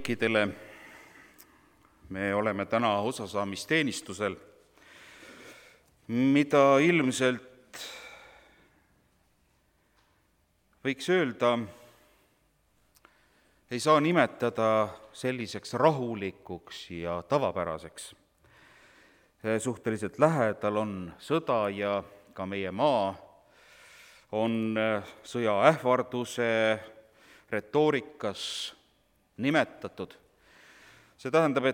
kõikidele. Me oleme täna osasaamisteenistusel, mida ilmselt võiks öelda, ei saa nimetada selliseks rahulikuks ja tavapäraseks. Suhteliselt lähedal on sõda ja ka meie maa on sõjaähvarduse retoorikas nimetatud. See tähendab,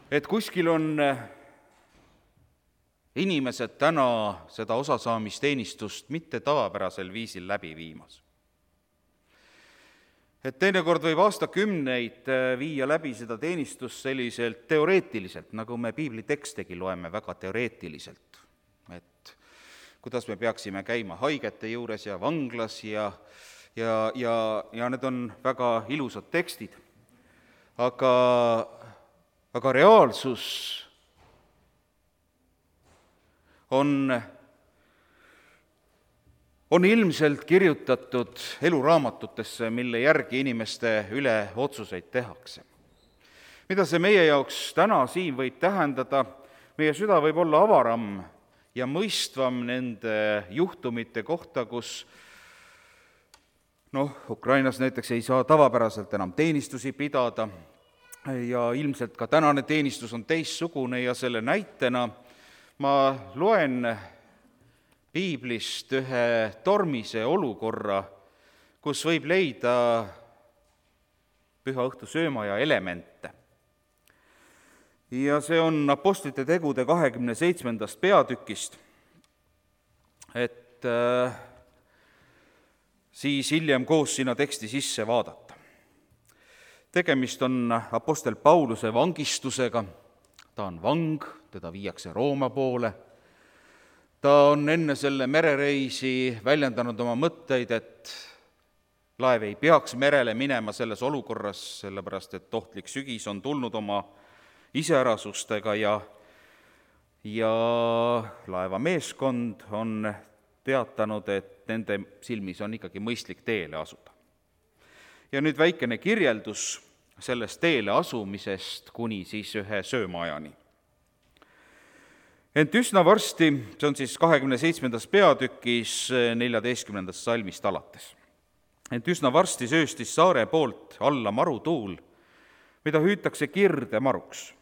et kuskil on inimesed täna seda osasaamisteenistust mitte tavapärasel viisil läbi viimas. Et teinekord võib aastakümneid viia läbi seda teenistust selliselt teoreetiliselt, nagu me piiblitekstegi loeme väga teoreetiliselt. Et kuidas me peaksime käima haigete juures ja vanglas ja need on väga ilusad tekstid. Aga reaalsus on ilmselt kirjutatud eluraamatutesse, mille järgi inimeste üle otsuseid tehakse. Mida see meie jaoks täna siin võib tähendada? Meie süda võib olla avaram ja mõistvam nende juhtumite kohta, kus Ukrainas näiteks ei saa tavapäraselt enam teenistusi pidada ja ilmselt ka tänane teenistus on teistsugune ja selle näitena ma loen piiblist ühe tormise olukorra, kus võib leida püha õhtu söömaja elemente. Ja see on Apostlite tegude 27. peatükist, et siis hiljem koos sinna teksti sisse vaadata. Tegemist on apostel Pauluse vangistusega, ta on vang, teda viiakse Rooma poole. Ta on enne selle merereisi väljendanud oma mõtteid, et laev ei peaks merele minema selles olukorras, sellepärast et ohtlik sügis on tulnud oma iseärasustega ja laeva meeskond on teatanud, et nende silmis on ikkagi mõistlik teele asuda. Ja nüüd väikene kirjeldus sellest teele asumisest kuni siis ühe söömaajani. Ent üsna varsti, see on siis 27. peatükis 14. salmist alates. Ent üsna varsti sööstis saare poolt alla marutuul, mida hüütakse kirdemaruks.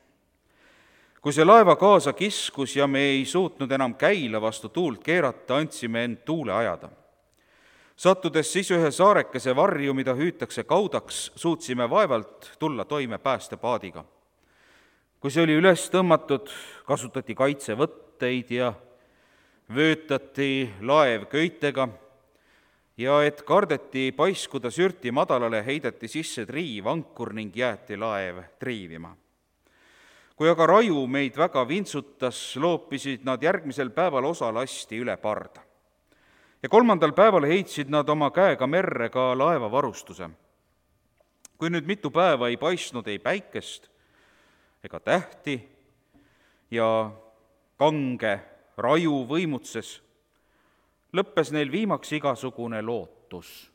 Kui see laeva kaasa kiskus ja me ei suutnud enam käila vastu tuult keerata, andsime end tuule ajada. Sattudes siis ühe saarekese varju, mida hüütakse kaudaks, suutsime vaevalt tulla toime päästepaadiga. Kui see oli üles tõmmatud, kasutati kaitsevõtteid ja vöötati laev köitega ja et kardeti paiskuda sürti madalale, heideti sisse triivankur ning jäeti laev triivima. Kui aga raju meid väga vintsutas, loopisid nad järgmisel päeval osa lasti üle parda. Ja 3. päeval heitsid nad oma käega merre ka laeva varustuse. Kui nüüd mitu päeva ei paistnud ei päikest ega tähti ja kange raju võimutses, lõppes neil viimaks igasugune lootus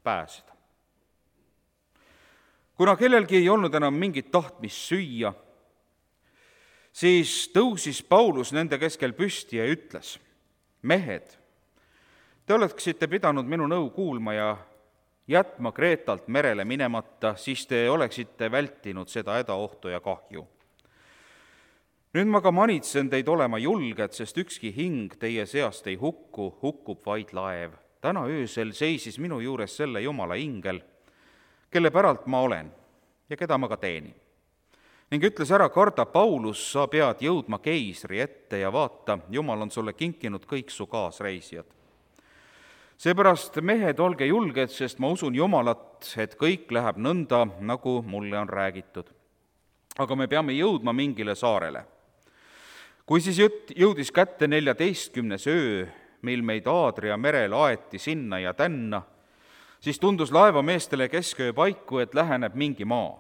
pääseda. Kuna kellelgi ei olnud enam mingit tahtmist süüa, siis tõusis Paulus nende keskel püsti ja ütles, mehed, te oleksite pidanud minu nõu kuulma ja jätma Kreetalt merele minemata, siis te oleksite vältinud seda hädaohtu ja kahju. Nüüd ma ka manitsen teid olema julged, sest ükski hing teie seast ei hukku, hukkub vaid laev. Täna öösel seisis minu juures selle Jumala ingel, kelle päralt ma olen ja keda ma ka teenin. Ning ütles ära, karda Paulus, sa pead jõudma keisri ette ja vaata, Jumal on sulle kinkinud kõik su kaasreisijad. Seepärast, mehed, olge julged, sest ma usun Jumalat, et kõik läheb nõnda, nagu mulle on räägitud. Aga me peame jõudma mingile saarele. Kui siis jõudis kätte 14. öö, mil meid Aadria merel aeti sinna ja tänna, siis tundus laevameestele kesköö paiku, et läheneb mingi maa.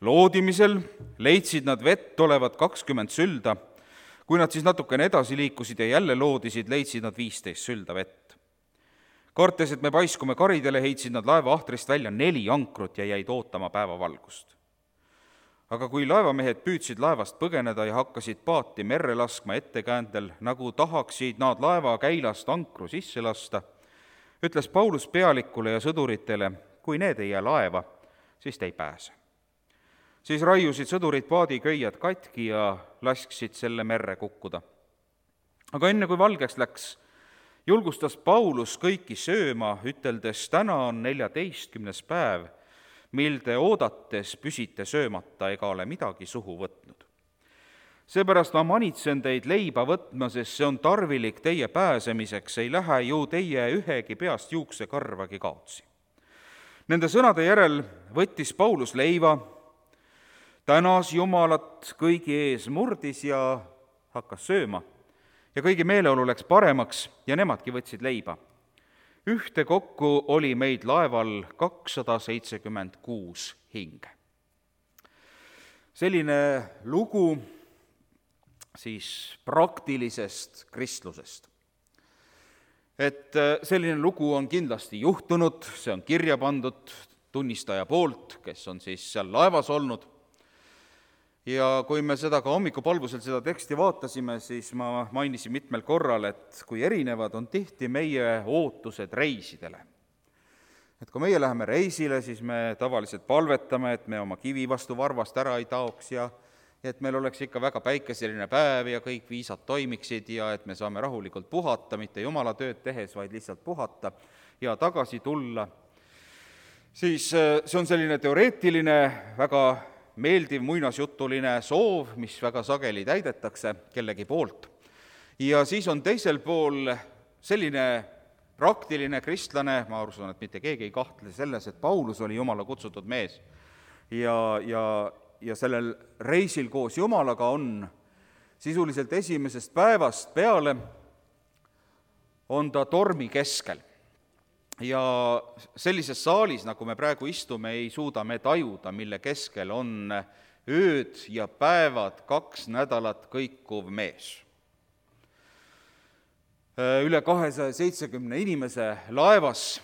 Loodimisel leidsid nad vett olevat 20 sülda, kui nad siis natukene edasi liikusid ja jälle loodisid, leidsid nad 15 sülda vett. Kartes, et me paiskume karidele, heitsid nad laeva ahtrist välja 4 ankrut ja jäid ootama päevavalgust. Aga kui laevamehed püüdsid laevast põgeneda ja hakkasid paati merre laskma ettekäändel, nagu tahaksid nad laeva käilast ankru sisse lasta, ütles Paulus pealikule ja sõduritele, kui need ei jää laeva, siis te ei pääse. Siis raiusid sõdurid paadiköied katki ja lasksid selle merre kukkuda. Aga enne kui valgeks läks, julgustas Paulus kõiki sööma, üteldes, täna on 14. päev, mil te oodates püsite söömata ega ole midagi suhu võtnud. Seepärast ma manitsen teid leiba võtma, sest see on tarvilik teie pääsemiseks, ei lähe ju teie ühegi peast juuksekarvagi kaotsi. Nende sõnade järel võttis Paulus leiva, tänas Jumalat kõigi ees, murdis ja hakkas sööma ja kõigi meeleolu läks paremaks ja nemadki võtsid leiba. Ühtekokku oli meid laeval 276 hinge. Selline lugu siis praktilisest kristlusest. Et selline lugu on kindlasti juhtunud, see on kirja pandud tunnistaja poolt, kes on siis seal laevas olnud. Ja kui me seda ka hommikupalvusel seda teksti vaatasime, siis ma mainisin mitmel korral, et kui erinevad on tihti meie ootused reisidele. Et kui meie läheme reisile, siis me tavaliselt palvetame, et me oma kivi vastu varvast ära ei taoks ja et meil oleks ikka väga päikeseline päev ja kõik viisad toimiksid ja et me saame rahulikult puhata, mitte jumala tööd tehes, vaid lihtsalt puhata ja tagasi tulla. Siis see on selline teoreetiline, väga meeldiv muinasjutuline soov, mis väga sageli täidetakse kellegi poolt. Ja siis on teisel pool selline praktiline kristlane, ma usun, et mitte keegi ei kahtle selles, et Paulus oli Jumala kutsutud mees ja sellel reisil koos Jumalaga on sisuliselt esimesest päevast peale on ta tormi keskel. Ja sellises saalis, nagu me praegu istume, ei suuda me tajuda, mille keskel on ööd ja päevad 2 nädalat kõikuv mees. Üle 270 inimese laevas,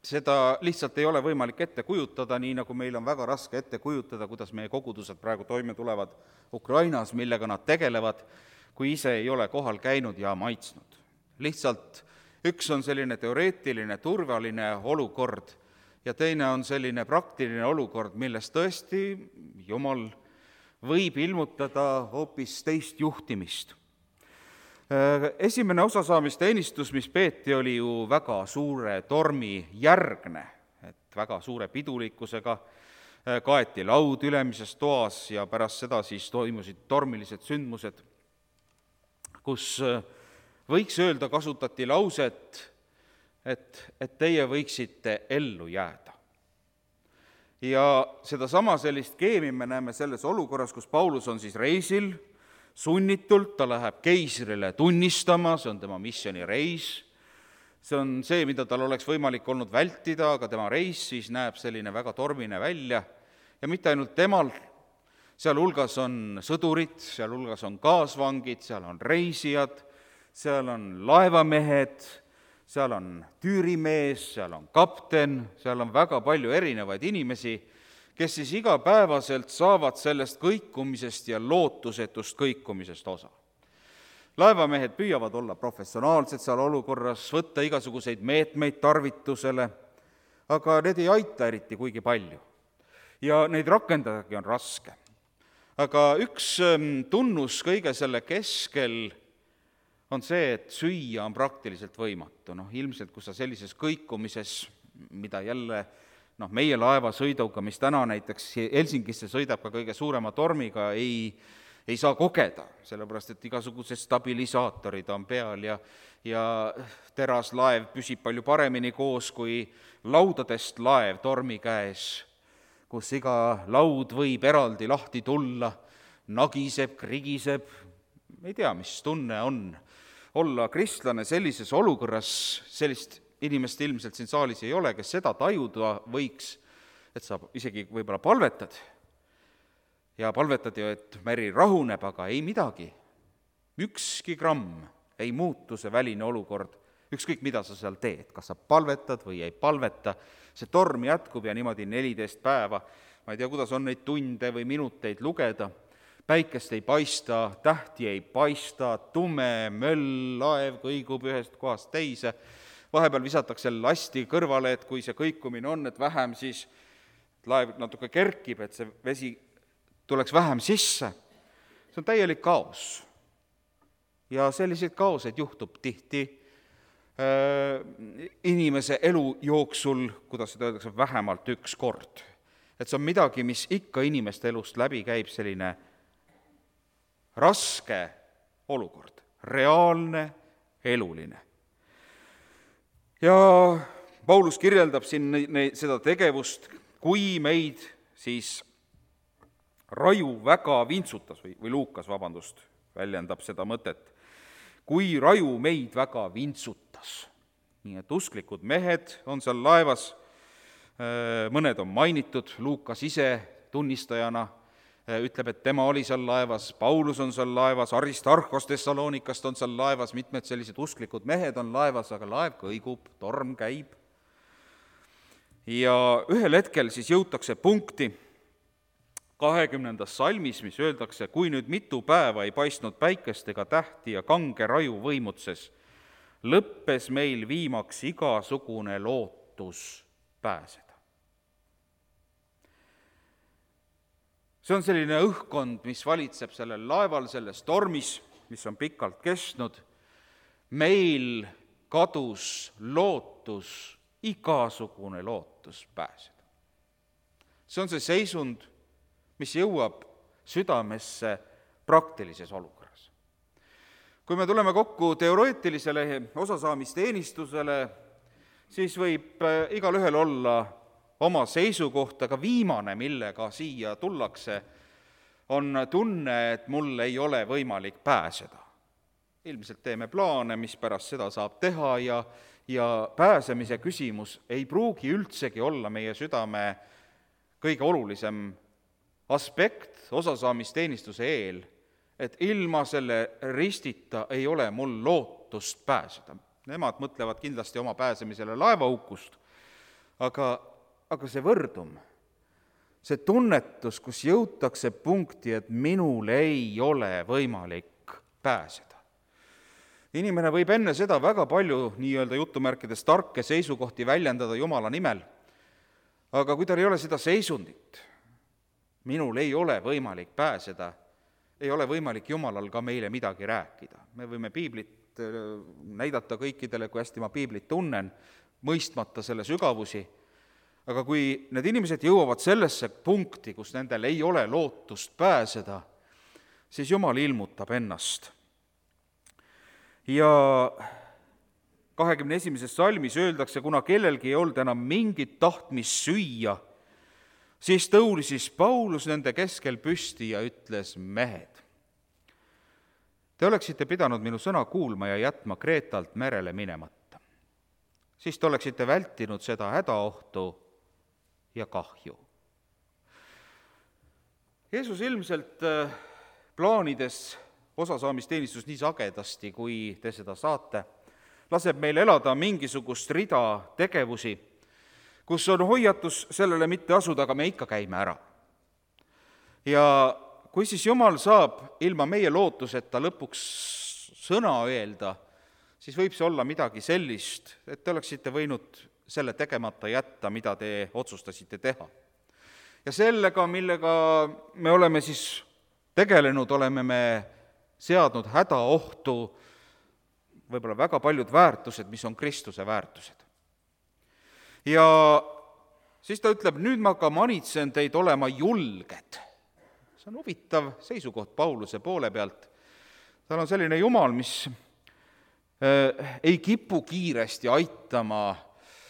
seda lihtsalt ei ole võimalik ette kujutada, nii nagu meil on väga raske ette kujutada, kuidas meie kogudused praegu toime tulevad Ukrainas, millega nad tegelevad, kui ise ei ole kohal käinud ja maitsnud. Lihtsalt üks on selline teoreetiline, turvaline olukord ja teine on selline praktiline olukord, milles tõesti Jumal võib ilmutada hoopis teist juhtimist. Esimene osasaamisteenistus, mis peeti, oli ju väga suure tormi järgne, et väga suure pidulikkusega kaeti laud ülemises toas ja pärast seda siis toimusid tormilised sündmused, kus võiks öelda, kasutati lauset, et teie võiksite ellu jääda. Ja sedasama sellist keemi me näeme selles olukorras, kus Paulus on siis reisil, sunnitult, ta läheb keisrile tunnistama, see on tema missioonireis, see on see, mida tal oleks võimalik olnud vältida, aga tema reis siis näeb selline väga tormine välja ja mitte ainult temal, seal hulgas on sõdurid, seal hulgas on kaasvangid, seal on reisijad, seal on laevamehed, seal on tüürimees, seal on kapten, seal on väga palju erinevaid inimesi, kes siis igapäevaselt saavad sellest kõikumisest ja lootusetust kõikumisest osa. Laevamehed püüavad olla professionaalsed seal olukorras, võtta igasuguseid meetmeid tarvitusele, aga need ei aita eriti kuigi palju. Ja neid rakendadagi on raske. Aga üks tunnus kõige selle keskel on see, et süüa on praktiliselt võimatu. Ilmselt, kui sa sellises kõikumises, mida jälle meie laevasõiduga, mis täna näiteks Helsingisse sõidab ka kõige suurema tormiga, ei saa kogeda, sellepärast et igasugused stabilisaatorid on peal ja teraslaev püsib palju paremini koos kui laudadest laev tormi käes, kus iga laud võib eraldi lahti tulla, nagiseb, krigiseb, ei tea, mis tunne on olla kristlane sellises olukorras, sellist inimest ilmselt siin saalis ei ole, kes seda tajuda võiks, et sa isegi võib-olla palvetad ja palvetad ju, et meri rahuneb, aga ei midagi. Ükski gramm ei muutu see väline olukord ükskõik, mida sa seal teed, kas sa palvetad või ei palveta, see torm jätkub ja niimoodi 14 päeva, ma ei tea, kuidas on neid tunde või minuteid lugeda, päikest ei paista, tähti ei paista, tume möll, laev kõigub ühest kohast teise, vahepeal visatakse lasti kõrvale, et kui see kõikumine on, et vähem, siis laev natuke kerkib, et see vesi tuleks vähem sisse. See on täielik kaos. Ja selliseid kaoseid juhtub tihti inimese elu jooksul, kuidas seda öeldakse, vähemalt üks kord. Et see on midagi, mis ikka inimeste elust läbi käib, selline raske olukord, reaalne, eluline. Ja Paulus kirjeldab siin seda tegevust, kui meid siis raju väga vintsutas või Luukas, väljendab seda mõtet, kui raju meid väga vintsutas. Nii et usklikud mehed on seal laevas, mõned on mainitud, Luukas ise tunnistajana ütleb, et tema oli seal laevas, Paulus on seal laevas, Aristarhos Thessalonikast on seal laevas, mitmed sellised usklikud mehed on laevas, aga laev kõigub, torm käib. Ja ühel hetkel siis jõutakse punkti 20. salmis, mis öeldakse, kui nüüd mitu päeva ei paistnud päikest ega tähti ja kange raju võimutses, lõppes meil viimaks igasugune lootus pääseda. See on selline õhkkond, mis valitseb sellel laeval, selles tormis, mis on pikalt kestnud. Meil kadus lootus, igasugune lootus pääseda. See on see seisund, mis jõuab südamesse praktilises olukorras. Kui me tuleme kokku teoreetilisele osasaamisteenistusele, siis võib igalühel olla oma seisukoht, aga viimane, millega siia tullakse, on tunne, et mul ei ole võimalik pääseda. Ilmselt teeme plaane, mis pärast seda saab teha ja pääsemise küsimus ei pruugi üldsegi olla meie südame kõige olulisem aspekt osasaamisteenistuse eel, et ilma selle ristita ei ole mul lootust pääseda. Nemad mõtlevad kindlasti oma pääsemisele laevaukust, aga see võrdum, see tunnetus, kus jõutakse punkti, et minul ei ole võimalik pääseda. Inimene võib enne seda väga palju nii-öelda jutumärkides tarke seisukohti väljendada Jumala nimel, aga kui tal ei ole seda seisundit, minul ei ole võimalik pääseda, ei ole võimalik Jumalal ka meile midagi rääkida. Me võime piiblit näidata kõikidele, kui hästi ma piiblit tunnen, mõistmata selle sügavusi, aga kui need inimesed jõuavad sellesse punkti, kus nendel ei ole lootust pääseda, siis Jumal ilmutab ennast. Ja 21. salmis öeldakse, kuna kellelgi ei olnud enam mingit tahtmist süüa, siis tõulisis Paulus nende keskel püsti ja ütles, mehed, te oleksite pidanud minu sõna kuulma ja jätma Kreetalt merele minemata. Siis te oleksite vältinud seda hädaohtu ja kahju. Jeesus ilmselt plaanides osasaamisteenistus nii sagedasti, kui te seda saate, laseb meil elada mingisugust rida tegevusi, kus on hoiatus sellele mitte asuda, aga me ikka käime ära. Ja kui siis Jumal saab ilma meie lootuseta lõpuks sõna öelda, siis võib see olla midagi sellist, et te oleksite võinud selle tegemata jätta, mida te otsustasite teha. Ja sellega, millega me oleme siis tegelenud, oleme me seadnud hädaohtu võib-olla väga paljud väärtused, mis on Kristuse väärtused. Ja siis ta ütleb, nüüd ma ka manitsen teid olema julged. See on huvitav seisukoht Pauluse poole pealt. Tal on selline Jumal, mis ei kipu kiiresti aitama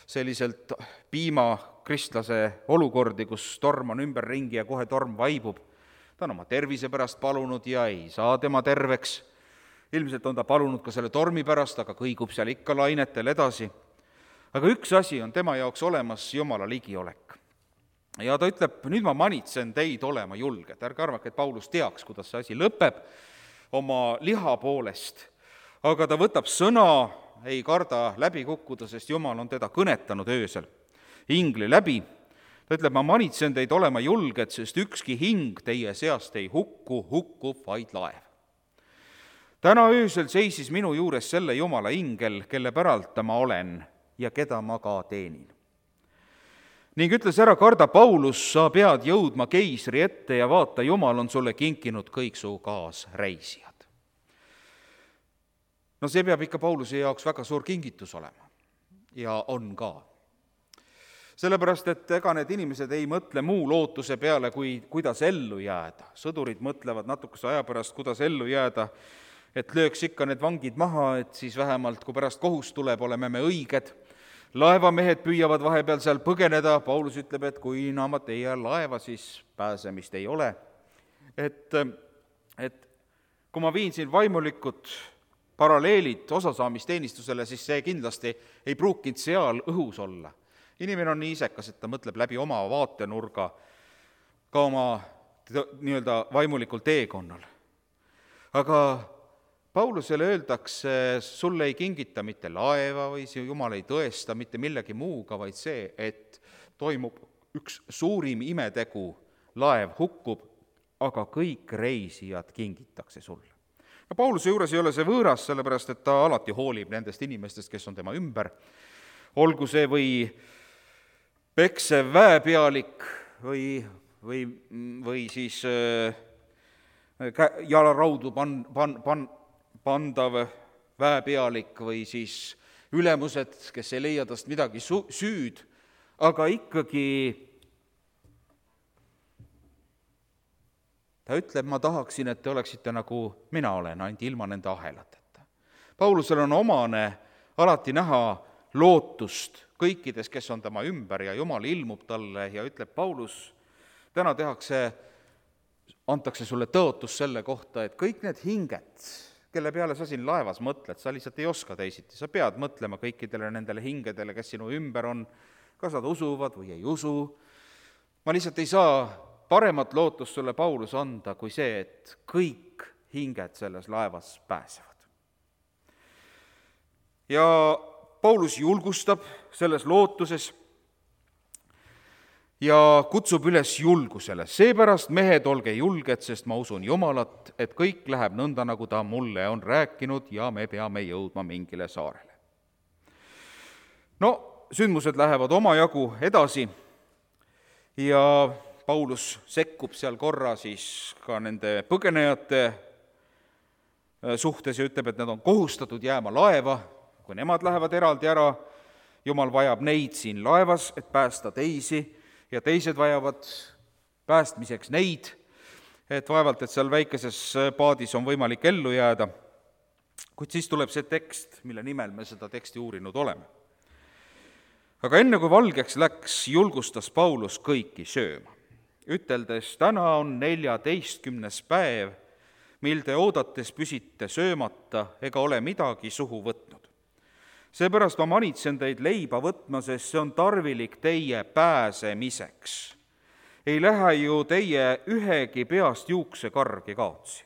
selliselt piimakristlase olukordi, kus torm on ümberringi ja kohe torm vaibub. Ta on oma tervise pärast palunud ja ei saa tema terveks. Ilmselt on ta palunud ka selle tormi pärast, aga kõigub seal ikka lainetel edasi. Aga üks asi on tema jaoks olemas, Jumala ligiolek. Ja ta ütleb, nüüd ma manitsen teid olema julged. Ärge arvake, et Paulus teaks, kuidas see asi lõpeb oma liha poolest. Aga ta võtab sõna ei karda läbi kukkuda, sest Jumal on teda kõnetanud öösel ingli läbi. Ta ütleb, ma manitsen teid olema julged, sest ükski hing teie seast ei hukkub vaid laev. Täna öösel seisis minu juures selle Jumala ingel, kelle päralt ma olen ja keda ma ka teenin. Ning ütles, ära karda, Paulus, sa pead jõudma keisri ette ja vaata, Jumal on sulle kinkinud kõik su kaasreisijad. No see peab ikka Pauluse jaoks väga suur kingitus olema ja on ka. Sellepärast, et ega need inimesed ei mõtle muu lootuse peale, kuidas ellu jääda. Sõdurid mõtlevad natukese aja pärast, kuidas ellu jääda, et lööks ikka need vangid maha, et siis vähemalt, kui pärast kohus tuleb, oleme me õiged. Laevamehed püüavad vahepeal seal põgeneda, Paulus ütleb, et kui naamad ei jää laeva, siis pääsemist ei ole. Et kui ma viin siin vaimulikud paralleelid osasaamisteenistusele, siis see kindlasti ei pruukinud seal õhus olla. Inimene on nii isekas, et ta mõtleb läbi oma vaatenurga ka oma nii-öelda vaimulikul teekonnal. Aga Paulusele öeldakse, sulle ei kingita mitte laeva või Jumal ei tõesta mitte millegi muuga, vaid see, et toimub üks suurim imetegu, laev hukkub, aga kõik reisijad kingitakse sulle. Ja Pauluse juures ei ole see võõras, sellepärast et ta alati hoolib nendest inimestest, kes on tema ümber. Olgu see või peksev väepealik või siis jalaraudu pandav väepealik või siis ülemused, kes ei leia tast midagi süüd, aga ikkagi ta ütleb, ma tahaksin, et te oleksite nagu mina olen, ainult ilma nende ahelateta. Paulusel on omane alati näha lootust kõikides, kes on tema ümber ja Jumal ilmub talle ja ütleb, Paulus, täna antakse sulle tõotus selle kohta, et kõik need hinged, kelle peale sa siin laevas mõtled, sa lihtsalt ei oska teisiti, sa pead mõtlema kõikidele nendele hingedele, kes sinu ümber on, kas nad usuvad või ei usu. Ma lihtsalt ei saa paremat lootust sulle, Paulus, anda kui see, et kõik hinged selles laevas pääsevad. Ja Paulus julgustab selles lootuses ja kutsub üles julgusele. Seepärast, mehed, olge julged, sest ma usun Jumalat, et kõik läheb nõnda, nagu ta mulle on rääkinud ja me peame jõudma mingile saarele. No, sündmused lähevad omajagu edasi ja Paulus sekkub seal korra siis ka nende põgenejate suhtes ja ütleb, et nad on kohustatud jääma laeva. Kui nemad lähevad eraldi ära, Jumal vajab neid siin laevas, et päästa teisi, ja teised vajavad päästmiseks neid, et vaevalt, et seal väikeses paadis on võimalik ellu jääda. Kuid siis tuleb see tekst, mille nimel me seda teksti uurinud oleme. Aga enne kui valgeks läks, julgustas Paulus kõiki sööma, üteldes, täna on 14. päev, mil te oodates püsite söömata ega ole midagi suhu võtnud. Seepärast ma manitsen teid leiba võtma, sest see on tarvilik teie pääsemiseks. Ei lähe ju teie ühegi peast juuksekargi kaotsi.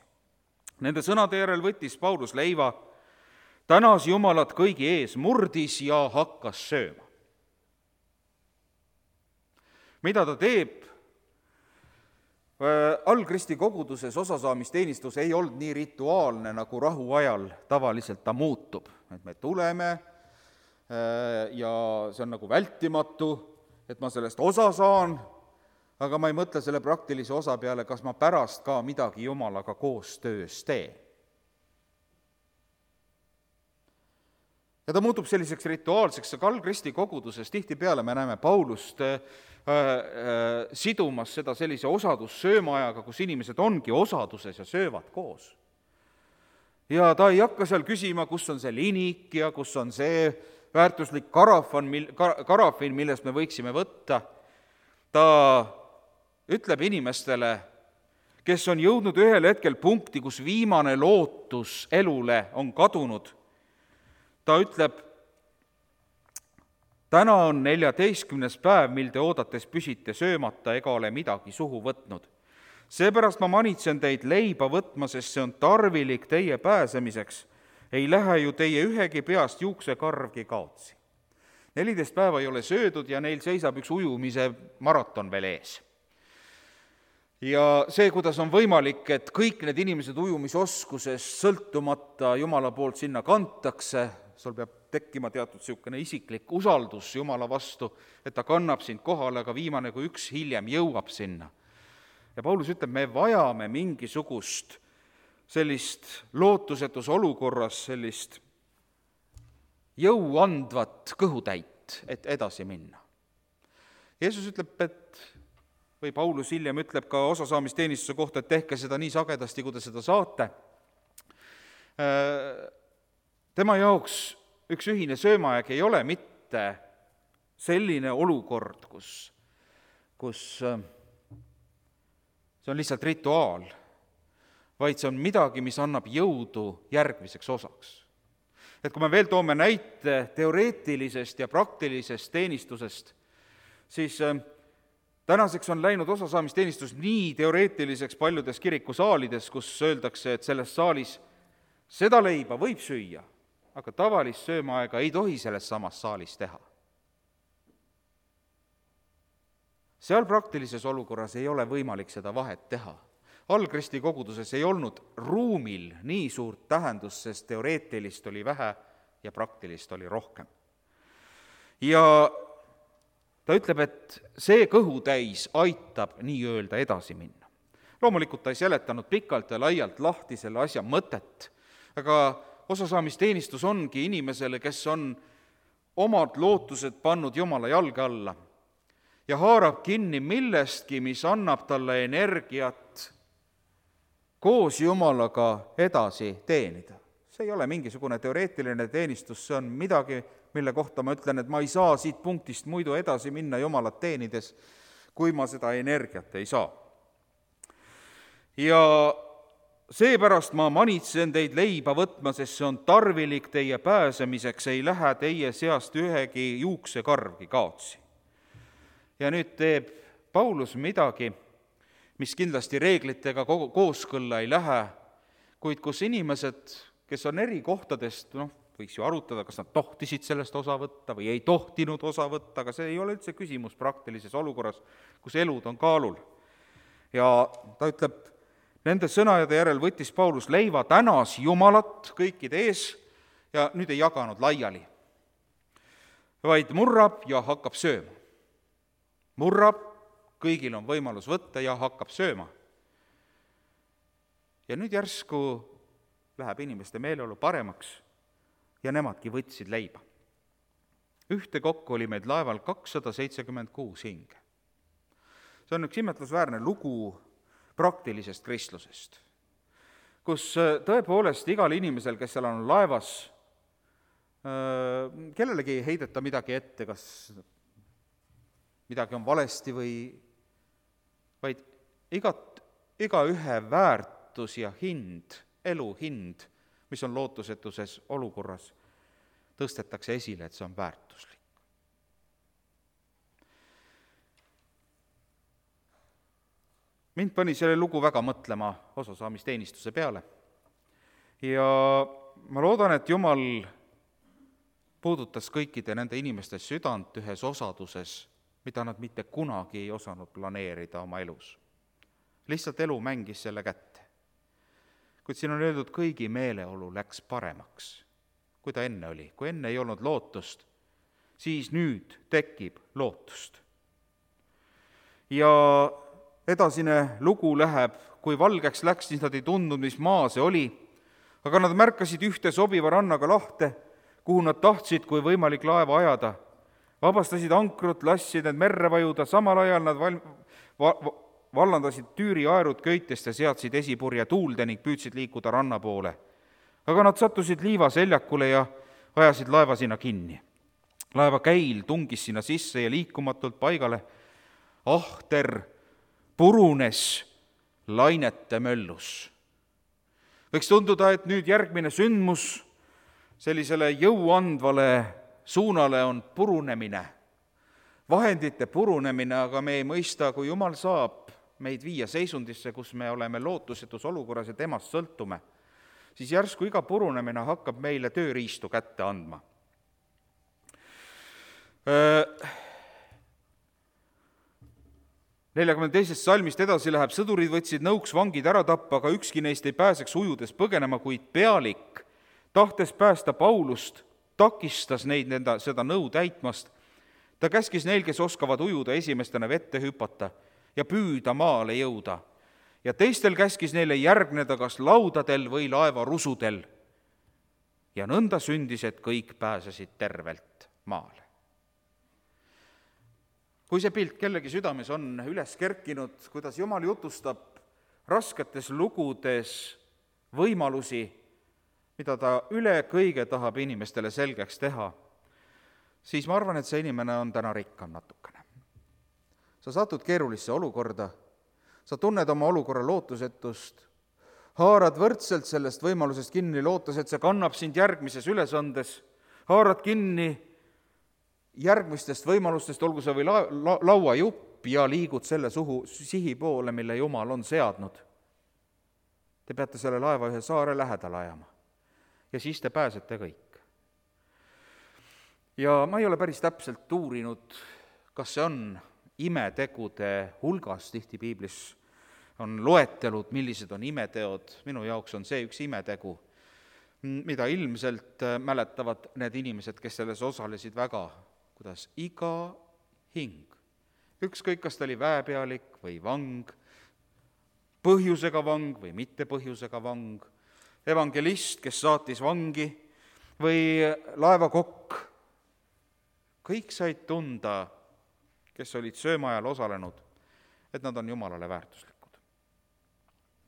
Nende sõnade järel võttis Paulus leiva, tänas Jumalat kõigi ees, murdis ja hakkas sööma. Mida ta teeb? Algristi koguduses osasaamisteenistus ei olnud nii rituaalne, nagu rahuajal tavaliselt ta muutub. Et me tuleme ja see on nagu vältimatu, et ma sellest osa saan, aga ma ei mõtle selle praktilise osa peale, kas ma pärast ka midagi Jumalaga koostöös teen. Ja ta muutub selliseks rituaalseks, aga Algristi koguduses tihtipeale me näeme Paulust sidumas seda sellise osadussöömaajaga, kus inimesed ongi osaduses ja söövad koos. Ja ta ei hakka seal küsima, kus on see linik ja kus on see väärtuslik karafin, millest me võiksime võtta. Ta ütleb inimestele, kes on jõudnud ühel hetkel punkti, kus viimane lootus elule on kadunud, ta ütleb, täna on 14. päev, mil te oodates püsite söömata ega ole midagi suhu võtnud. Seepärast ma manitsen teid leiba võtma, sest see on tarvilik teie pääsemiseks. ei lähe ju teie ühegi peast juuksekarvgi kaotsi. 14 päeva ei ole söödud ja neil seisab üks ujumise maraton veel ees. Ja see, kuidas on võimalik, et kõik need inimesed ujumisoskusest sõltumata Jumala poolt sinna kantakse, sul peab tekkima teatud niisugune isiklik usaldus Jumala vastu, et ta kannab sind kohale, aga viimane kui üks hiljem jõuab sinna. Ja Paulus ütleb, me vajame mingisugust sellist lootusetus olukorras, sellist jõuandvat kõhutäit, et edasi minna. Jeesus ütleb, või Paulus hiljem ütleb ka osasaamisteenistuse kohta, et tehke seda nii sagedasti, kui te seda saate. Tema jaoks üks ühine söömaaeg ei ole mitte selline olukord, kus see on lihtsalt rituaal, vaid see on midagi, mis annab jõudu järgmiseks osaks. Et kui me veel toome näite teoreetilisest ja praktilisest teenistusest, siis tänaseks on läinud osasaamisteenistus nii teoreetiliseks paljudes kirikusaalides, kus öeldakse, et selles saalis seda leiba võib süüa, aga tavalist söömaaega ei tohi selles samas saalis teha. Seal praktilises olukorras ei ole võimalik seda vahet teha. Algristi koguduses ei olnud ruumil nii suurt tähendust, sest teoreetilist oli vähe ja praktilist oli rohkem. Ja ta ütleb, et see kõhutäis aitab nii-öelda edasi minna. Loomulikult ta ei seletanud pikalt ja laialt lahti selle asja mõtet, aga osasaamisteenistus ongi inimesele, kes on omad lootused pannud Jumala jalge alla ja haarab kinni millestki, mis annab talle energiat koos Jumalaga edasi teenida. See ei ole mingisugune teoreetiline teenistus, see on midagi, mille kohta ma ütlen, et ma ei saa siit punktist muidu edasi minna Jumalat teenides, kui ma seda energiat ei saa. Ja seepärast ma manitsen teid leiba võtma, sest see on tarvilik teie pääsemiseks, ei lähe teie seast ühegi juuksekarvgi kaotsi. Ja nüüd teeb Paulus midagi, mis kindlasti reeglitega kooskõlla ei lähe, kuid kus inimesed, kes on eri kohtadest, võiks ju arutada, kas nad tohtisid sellest osa võtta või ei tohtinud osa võtta, aga see ei ole üldse küsimus praktilises olukorras, kus elud on kaalul. Ja ta ütleb, nende sõnade järel võttis Paulus leiva, tänas Jumalat kõikide ees ja nüüd ei jaganud laiali, vaid murrab ja hakkab sööma. Murrab, kõigil on võimalus võtta ja hakkab sööma. Ja nüüd järsku läheb inimeste meeleolu paremaks ja nemadki võtsid leiba. Ühtekokku oli meid laeval 276 hinge. See on üks imetlusväärne lugu praktilisest kristlusest, kus tõepoolest igal inimesel, kes seal on laevas, kellelegi ei heideta midagi ette, kas midagi on valesti vaid igaühe väärtus ja hind, elu hind, mis on lootusetuses olukorras, tõstetakse esile, et see on väärtuslik. Mind pani selle lugu väga mõtlema osasaamisteenistuse peale ja ma loodan, et Jumal puudutas kõikide nende inimeste südant ühes osaduses, mida nad mitte kunagi ei osanud planeerida oma elus. Lihtsalt elu mängis selle kätte. Kuid siin on öeldud, kõigi meeleolu läks paremaks, kui ta enne oli. Kui enne ei olnud lootust, siis nüüd tekib lootust. Ja edasine lugu läheb, kui valgeks läks, siis nad ei tundnud, mis maa see oli, aga nad märkasid ühte sobiva rannaga lahte, kuhu nad tahtsid, kui võimalik laeva ajada. Vabastasid ankrut, lassid need merre vajuda, samal ajal nad vallandasid Tüüri aerud köitest ja seadsid esipurje tuulde ning püüdsid liikuda ranna poole. Aga nad sattusid liiva seljakule ja ajasid laeva sinna kinni. Laeva käil tungis sinna sisse ja liikumatult paigale. Ahter purunes lainete möllus. Võiks tunduda, et nüüd järgmine sündmus sellisele jõuandvale suunale on purunemine, vahendite purunemine, aga me ei mõista, kui Jumal saab meid viia seisundisse, kus me oleme lootusetus olukorras ja temast sõltume, siis järsku iga purunemine hakkab meile tööriistu kätte andma. 42. salmist edasi läheb, sõdurid võtsid nõuks vangid ära tappa, aga ükski neist ei pääseks ujudes põgenema, kuid pealik, tahtes päästa Paulust, takistas neid seda nõu täitmast. Ta käskis neil, kes oskavad ujuda, esimestena vette hüpata ja püüda maale jõuda. Ja teistel käskis neile järgneda kas laudadel või laevarusudel. Ja nõnda sündis, et kõik pääsesid tervelt maale. Kui see pilt kellegi südames on üles kerkinud, kuidas Jumal jutustab rasketes lugudes võimalusi, mida ta üle kõige tahab inimestele selgeks teha, siis ma arvan, et see inimene on täna rikkam natukene. Sa satud keerulisse olukorda, sa tunned oma olukorra lootusetust, haarad võrdselt sellest võimalusest kinni, lootes, et see kannab sind järgmises ülesandes, haarad kinni järgmistest võimalustest, olgu see või lauajupp, ja liigud selle sihi poole, mille Jumal on seadnud. Te peate selle laeva ühe saare lähedal ajama ja siis te pääsete kõik. Ja ma ei ole päris täpselt uurinud, kas see on imetegude hulgas, tihti piiblis on loetelud, millised on imeteod, minu jaoks on see üks imetegu, mida ilmselt mäletavad need inimesed, kes selles osalesid väga, kuidas iga hing, ükskõik kas ta oli väepealik või vang, põhjusega vang või mitte põhjusega vang, evangelist, kes saatis vangi, või laevakokk, kõik said tunda, kes olid söömaajal osalenud, et nad on Jumalale väärtuslikud.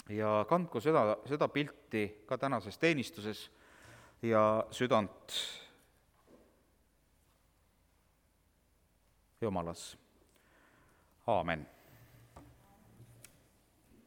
Ja kandku seda pilti ka tänases teenistuses ja südant Jumalas. Aamen.